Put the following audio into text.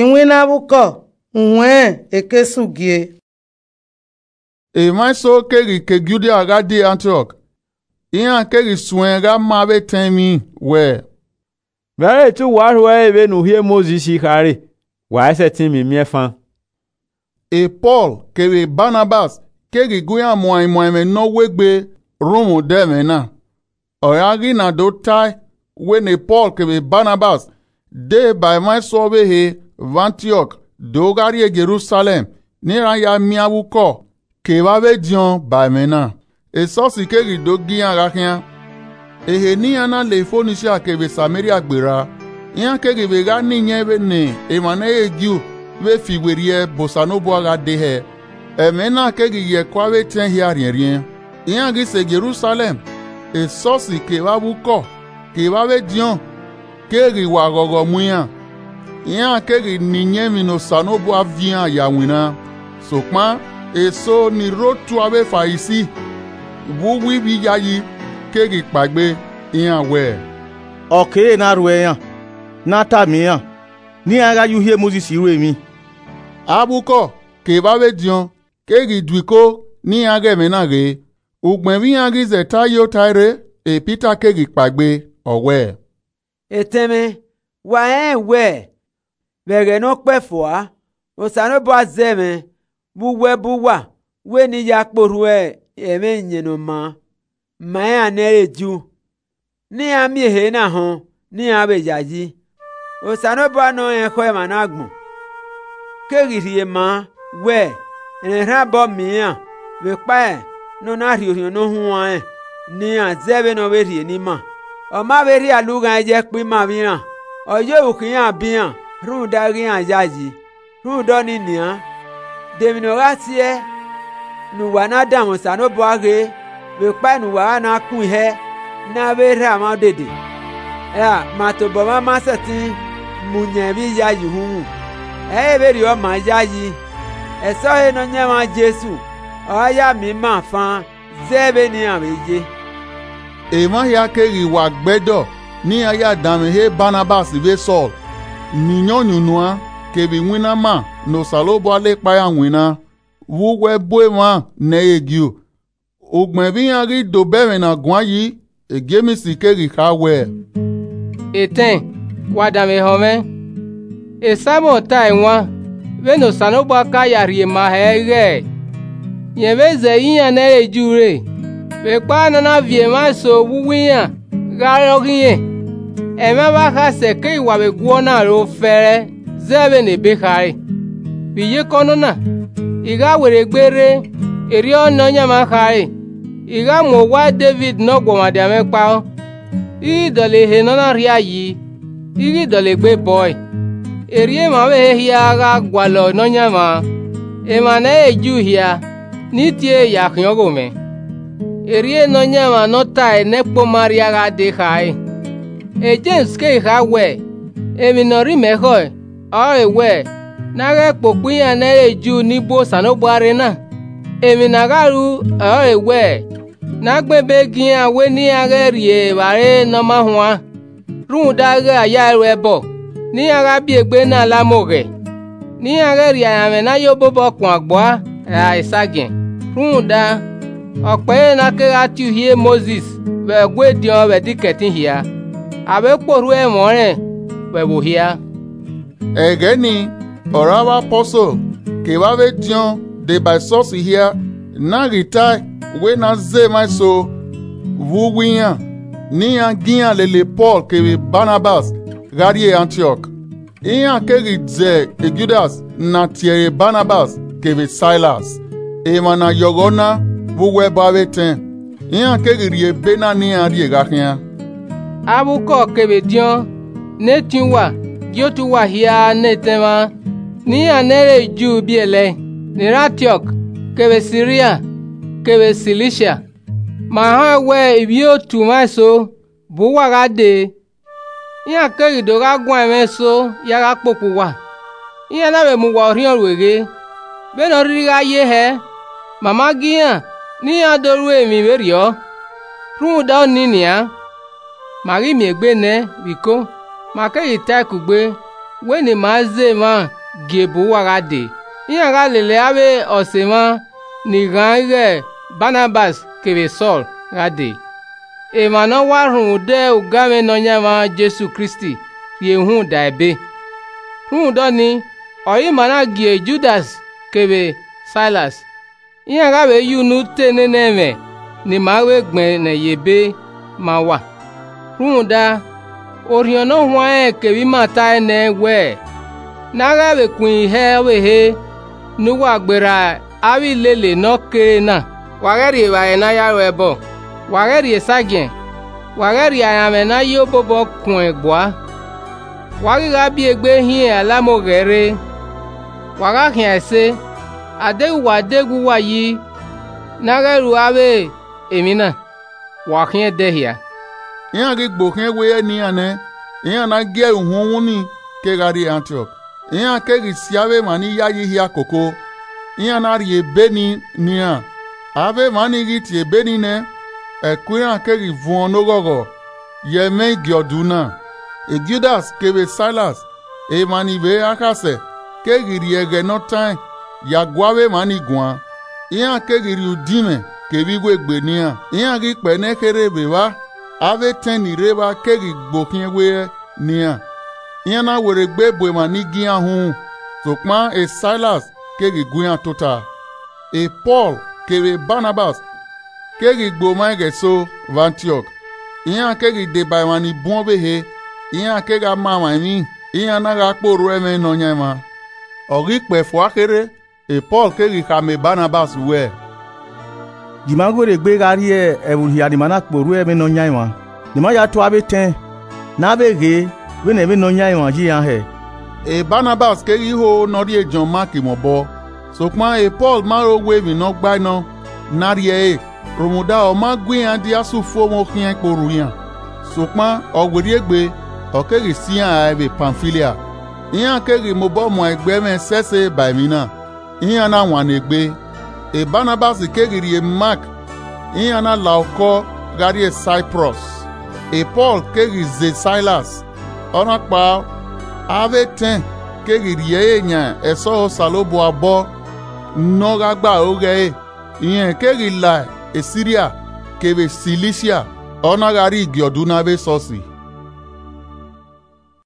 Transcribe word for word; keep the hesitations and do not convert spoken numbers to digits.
Iwinna vbe ukọ, uwẹn eke sugie. Emwa eso keghi ke Judia gha die Antiọk, iran keghi suẹn gha ma avbe etẹn emwi wẹẹ, Vbe a re te uwa rhuẹre vbene Uhi Mosis khare, wa i sẹtin miẹn miẹn fan. E Pọl kevbe Banabas keghi gu iran muan imuan ẹmwẹ ne ọ wegbe rhunmwuda ẹmwẹ na. Ọ gha ghi na do tae wẹ ne Pọl kevbe Banabas dee ba emwa eso ọvbehe vbe Antiọk do gha rrie Jerusalẹm, ne iran ya miẹn avbe ukọ kevbe avbe ediọn ba ẹmwẹ na. Esọsi keghi do gie iran gha khian. Ehe ne iran na le Fonisia kevbe Sameria gberra, iran keghi vbe gha ni iyẹn vbene emwa ne ẹ i re Ju vbe fi werriẹ bu Osanobua gha dee hẹ. Ẹmwẹ na keghi ye ẹko avbe etẹn hia rhiẹnrhiẹn. Iran ghi sẹ Jerusalẹm, esọsi kevbe avbe ukọ kevbe avbe ediọn keghi wa ghọghọ mu iran. Iran keghi ni iyẹn emwi ne Osanobua viọ iran ya winna. Sokpan eso ni rre otu avbe Farisi vbe uwu ivbi iyayi keghi kpaegbe iran wẹẹ, Ọ kere ne a rhuẹ iran, ne a tama iran, ne iran gha ye Uhi Mosis ru emwi. Avbe ukọ kevbe avbe ediọn keghi du iko ne iran ghe ẹmwẹ na ghe. Ugbẹn vbe iran ghi zẹ ta ye ota rre, Pita keghi kpaegbe, ọ wẹẹ, Etẹn mwẹ, wa rẹnrẹn wẹẹ, vbe ẹghẹ ne ọ kpẹe fua, Osanobua zẹ mwẹ vbe uwu ẹbu uwa, wẹ ne I ya kpe orhu ẹmwẹ Iyẹn Ne ọ maa ma iran ne ẹ i re Ju, ne iran miẹn ehe na họn ne iran vbe yayi. Osanobua ne ọ rẹn ekhọe emwa ne agbọn keghi rhie maa wẹẹ, rẹn erhan obọ miẹn iran, vbe ekpa ne ọ na rhie Orhiọn Ne Ọ Huanrẹn ne iran zẹ vbene ọ vbe rhie ne ima. Ọ ma vbe rhie alughaẹn ye ẹkpo ima vbe iran, ọ ye oru khian bu iran, rhunmwuda ighẹ iran yayi. Rhunmwuda ọnii nian, de emwi ne ọ gha siẹ ne uwa na danmwẹ Osanobua ghe, vbe ekpa ne uwa gha na kun ihẹ ne a vbe rha mwa odede? Ra ma tobọ mwa ma sẹtin mu yan emwi iyayi uhunmwu? Ẹ i re vberriọ ma iyayi, ẹsọhẹ Nọyaẹnmwa Jesu ọre a ya miẹn ima fan zẹ vbene iran vbe ye. Emwa hia keghi wa gbe ẹdọ ne iran ya danmwehọ Banabas vbe Sọl, ne iyọnyu nuan kevbe iwinna ima ne Osanobua la ekpa iran winna vbe uwu ẹbu emwa ne ẹ i re Ju. Ugbẹn vbe iran ghi dobọ ẹmwẹ na guan yi, Jems keghi kha wẹẹ, Etẹn, wa danmwehọ mwẹ. Saimọn tare wan, vbene Osanobua ka ya rhie ma hẹ ighẹ, rẹn vbe zẹ iran ne ẹ i re Ju rre, vbe ekpa ne ọ na viọ emwa eso vbe uwu iran gha re ọghe irẹn, ẹmwẹ avbe akhasẹ keghi wa vbe guọnọ aro fẹẹrẹ zẹ vbene ebe khare. Vbe iyeke ọnọna, I gha werriegbe rre, erriọ Nọyaẹnmwa khare, I gha mu owa Devid ne ọguọmwadia mwẹ kpao, I ghi dọlọ ehe ne ọ na rhia yi, I ghi dọlegbe bọe. Erriọ emwa ọvbehe hia gha gualọ Nọyaẹnmwa, emwa ne ẹ i re Ju hia, ni tie ẹre ya khian ọghomwẹ. Erriọ Nọyaẹnmwa ne ọ tae ne ẹkpo ma rria gha dee khare. Jems keghi kha wẹẹ, Emwi ne ọ rhie mẹ khọe, ọrọre wẹẹ, ne a ghẹ kpokpo iran ne ẹ i re Ju ni bu Osanobua rre na. Emwi ne a gha ru ọrọre wẹẹ, ne a gbẹn ebe gie iran wẹ ne iran ghẹ rrie evbare ne ọ ma huan, rhunmwuda ighẹ a ya ẹe ru ẹbọ, ne iran gha biegbe ne a la amẹ oghẹ, ne iran ghẹ rhie aranmwẹ ne a ya obobọ kuan gbua ra esagiẹn. Rhunmwuda, ọ kpẹre ne a kegha tie Uhi Mosis vbe Ẹguediọn vbe ẹdikẹtin hia, avbe kpe orhu ẹmwẹ ọnrẹn vbe ẹvbo hia. Ẹghẹ nii, ọre avbe Apostle kevbe avbe ediọn deba esọsi hia, ne a ghi tae wẹ ne a zẹ emwa eso vbe uwu iran, ne iran gie iran lele Pọl kevbe Banabas gha rrie Antiọk. Iran keghi zẹ Judas ne a tie ẹre Banabas kevbe Sailas, emwa ne a yọghọ na vbe uwu ẹbọ avbe etẹn. Iran keghi rhie ebe na ne iran rrie gha khian. Avbe ukọ kevbe ediọn ne etiẹn uwa gie otu uwa hia ne etẹn mwa, ne iran ne ẹ i re Ju biẹlẹe, ni rre Antiọk, kevbe Siria, kevbe Silisia. Ma họn wẹ ivbiotu mwa eso bu uwa gha dee, iran keghi do gha guan ẹmwẹ eso ya gha kpokpo uwa, iran na vbe mu uwa orhiọn ru eghe. Vbene ọ rhirhi gha ye hẹ, ma ma gie iran ne iran do ru emwi vberriọ. Rhunmwuda ọnii nian, ma ghi miẹn egbe nẹ vbe iko, ma keghi tae kugbe, wẹ ne ima zẹ emwa gie bu uwa gha dee, iran gha lele avbe ọse mwa ni ghan ighẹ Banabas kevbe Sọl gha dee. Emwa ne ọ wa rhunmwuda uganmwẹ Nọyaẹnmwa Jesu Kristi rhie uhunmwu da ẹbe. Rhunmwuda ọnii, ọre ima na gie Judas kevbe Sailas, iran gha vbe ye unu te nene ẹmwẹ ne ima vbe gbẹnnẹ ye ebe ma uwa. Rhunmwuda, Orhiọn Ne Ọ Huanrẹn kevbe ima tae nẹ wẹẹ, ne a gha vbe kuin hẹ ọvbehe ne uwa gberra avbe ilele ne ọ kere na. Wa ghẹ rri evbare ne a ya ru ẹbọ, wa ghẹ rri esagiẹn, wa ghẹ rri aranmwẹ ne a ye obobọ kuẹn gbua. Wa ghi gha biegbe hin alamoghẹ rre, wa gha khian ẹse, a deghẹ uwa de wẹ uwa yi ne a ghẹ ru avbe emwi na, wa khian ẹdẹ hia. Iran ghi gbe okhian ewe ne iran nẹ, iran na gie ẹre uhunmwu ni kegha rrie Antiọk. Iran keghi si avbe emwa ni yayi hia koko, iran na rhie ebe ni ne iran. Avbe emwa ni ghi tie ebe ni nẹ, ẹko iran keghi vuọn ne oghọghọ ye ẹmwẹ igiọdu na. Judas kevbe Sailas, emwa ni vbe akhasẹ, keghi rhie ẹghẹ ne ọ taẹn ya gu avbe emwa ni guan. Iran keghi rhie udinmwẹ kevbe iwegbe ne iran. Iran ghi kpẹnẹ kherhe vbe evba, avbe etẹn ni rre evba keghi gbe okhian ewe ne iran. Iran na werriegbe bu emwa ni gie iran uhunmwu, sokpan Sailas keghi gu iran tota. Pọl kevbe Banabas keghi gbe omwa ighẹ eso vbe Antiọk, iran keghi deba emwa ni bun ọvbehe, iran kegha ma mwa emwi, iran na gha kpe orhu ẹmwẹ Nọyaẹnmwa. Ọ ghi kpẹe fua kherhe, Pọl keghi khama Banabas wẹẹ, Gie ima werriegbe gha rrie ẹvbo hia ne ima na kpe orhu ẹmwẹ Nọyaẹnmwa, ne ima ya tue avbe etẹn, ne a vbe ghe vbene ẹmwẹ Nọyaẹnmwa ye iran hẹ. Banabas keghi ho ne ọ rhie Jọn Mak mwẹ obọ, sokpan Pọl ma ro wẹ emwi ne ọ gbae nọ ne a rhie ẹre, rhunmwuda ọ ma gu iran dia sẹ ufomwẹ okhian kpe orhu iran. Sokpan ọ werriegbe, ọ keghi si iran rae vbe Pamfilia. Iran keghi mobọ muan egbe ẹmwẹ ẹsẹse ba emwi na, iran na wanniegbe. Banabas keghi rhie Mak, iran na la okọ gha rrie Saiprọs. Pọl keghi ze Sailas, ọna kpao, avbe etẹn keghi rhie ẹre yan ẹsọhẹ Osanobua obọ ne ọ gha gbe aro ghe ẹre, irẹn keghi la Siria kevbe Silisia, ọ na gha rrie igiọdu na avbe esọsi.